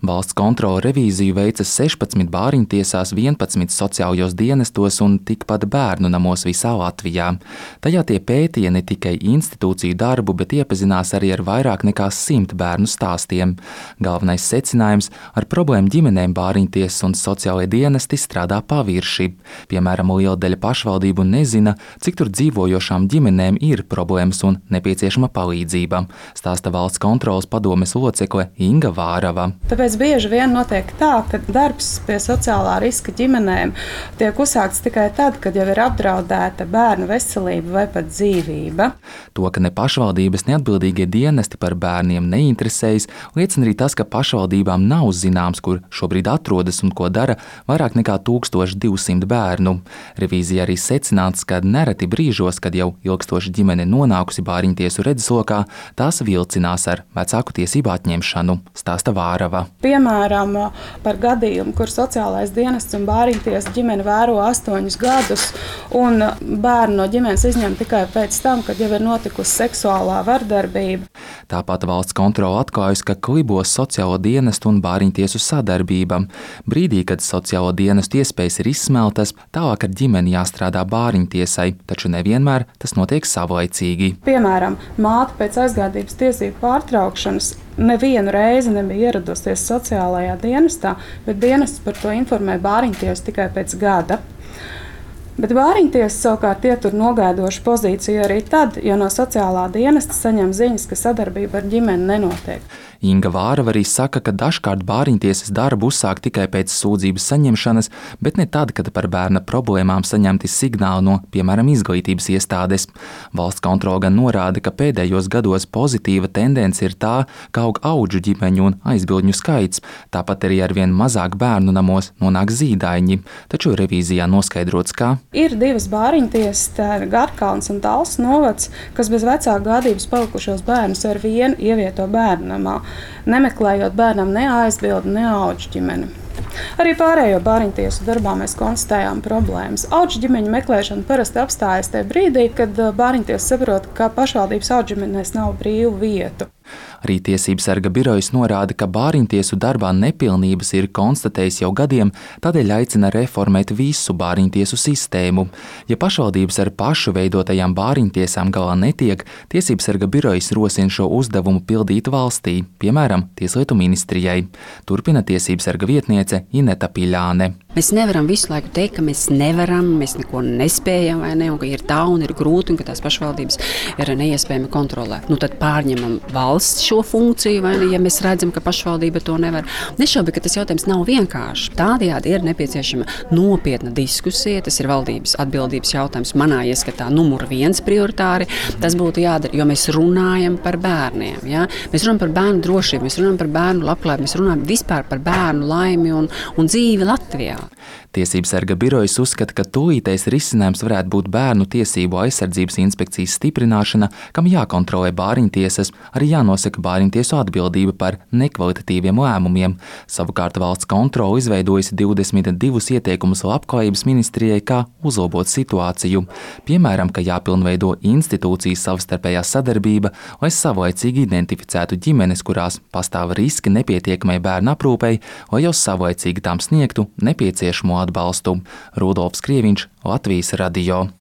Valsts kontrole revīziju veica 16 bāriņtiesās, 11 sociālajos dienestos un tikpat bērnu namos visā Latvijā. Tajā tie pētīja ne tikai institūciju darbu, bet iepazinās arī ar vairāk nekā 100 bērnu stāstiem. Galvenais secinājums – ar problēmu ģimenēm bāriņtiesas un sociālajie dienesti strādā pavirši. Piemēram, liela daļa pašvaldību nezina, cik tur dzīvojošām ģimenēm ir problēmas un nepieciešama palīdzība, stāsta valsts kontroles padomes locekle Inga Vārava. Tāpēc bieži vien notiek tā, ka darbs pie sociālā riska ģimenēm tiek uzsākts tikai tad, kad jau ir apdraudēta bērnu veselība vai pat dzīvība. To, ka ne pašvaldības, ne atbildīgie dienesti par bērniem neinteresējas, liecina arī tas, ka pašvaldībām nav zināms, kur šobrīd atrodas un ko dara vairāk nekā 1200 bērnu. Revīzija arī secināts, ka nereti brīžos, kad jau ilgstoši ģimene nonākusi bāriņtiesu redzeslokā, tās vilcinās ar vecāku tiesību atņemšanu, stāsta Vārava. Piemēram, par gadījumu, kur sociālais dienests un bāriņtiesa ģimene vēro 8 gadus un bērnu no ģimenes izņem tikai pēc tam, kad jau ir notikusi seksuālā vardarbība. Tāpat valsts kontrole atklājusi, ka klibos sociālo dienestu un bāriņtiesu sadarbība. Brīdī, kad sociālo dienestu iespējas ir izsmeltas, tālāk ar ģimeni jāstrādā bāriņtiesai, taču nevienmēr tas notiek savlaicīgi. Piemēram, māte pēc aizgādības tiesību pārtraukšanas nevienu reizi nebija ieradusies sociālajā dienestā, bet dienests par to informē bāriņtiesu tikai pēc gada. Bet bāriņtiesa savukārt ietur nogaidošu pozīciju arī tad, ja no sociālā dienesta saņem ziņas, ka sadarbība ar ģimeni nenotiek. Inga Vārava arī saka, ka dažkārt bāriņtiesas darbu uzsāk tikai pēc sūdzības saņemšanas, bet ne tad, kad par bērna problēmām saņemti signāli no, piemēram, izglītības iestādes. Valsts kontrole gan norāda, ka pēdējos gados pozitīva tendence ir tā, ka aug audžu ģimeņu un aizbildņu skaits, tāpat arī arvien mazāk bērnu namos nonāk zīdaiņi, taču revīzijā noskaidrots, ka ir 2 bāriņtiesas, tā ir Garkalns un Talsu novads, kas bez vecāku gādības palikušos bērnus ar vienu ievieto bērnu namā, nemeklējot bērnam ne aizbildi, ne audžu ģimeni. Arī pārējo bāriņtiesu darbā mēs konstatējām problēmas. Audžu ģimeņu meklēšana parasti apstājas tajā brīdī, kad bāriņtiesa saprot, ka pašvaldības audžu ģimenēs nav brīvu vietu. Arī Tiesību sarga birojas norāda, ka bāriņtiesu darbā nepilnības ir konstatējis jau gadiem, tādēļ aicina reformēt visu bāriņtiesu sistēmu. Ja pašvaldības ar pašu veidotajām bāriņtiesām galā netiek, Tiesību sarga birojas rosina šo uzdevumu pildīt valstī, piemēram, Tieslietu ministrijai. Turpina Tiesību sarga vietniece Ineta Piļāne. Mēs nevaram visu laiku teikt, ka mēs nevaram, mēs neko nespējam, vai ne, un ka ir tā un ir grūti, un ka tās pašvaldības ir neiespējami kontrolēt. Tad pārņemam valsts šo funkciju, vai ne, ja mēs redzam, ka pašvaldība to nevar. Nešaubi, ka tas jautājums nav vienkārši. Tādējādi ir nepieciešama nopietna diskusija, tas ir valdības atbildības jautājums manā ieskatā numur 1 prioritāri. Tas būtu jādara, jo mēs runājam par bērniem. Ja? Mēs runājam par bērnu drošību, mēs runājam par bērnu labklājību, mēs runājam vispār par bērnu laimi un dzīvi Latvijā. Tiesību sarga birojas uzskata, ka tūlītais risinājums varētu būt Bērnu tiesību aizsardzības inspekcijas stiprināšana, kam jākontrolē bāriņtiesas, arī jānosaka bāriņtiesu atbildība par nekvalitatīviem lēmumiem. Savukārt valsts kontrole izveidojusi 22 ieteikumus labklājības ministrijai, kā uzlabot situāciju. Piemēram, ka jāpilnveido institūcijas savstarpējā sadarbība, lai savlaicīgi identificētu ģimenes, kurās pastāv riski nepietiekamai bērnu aprūpei, lai jau savlaicīgi tām sniegtu nepieciešamo atbalstu. Rudolfs Krieviņš, Latvijas radio.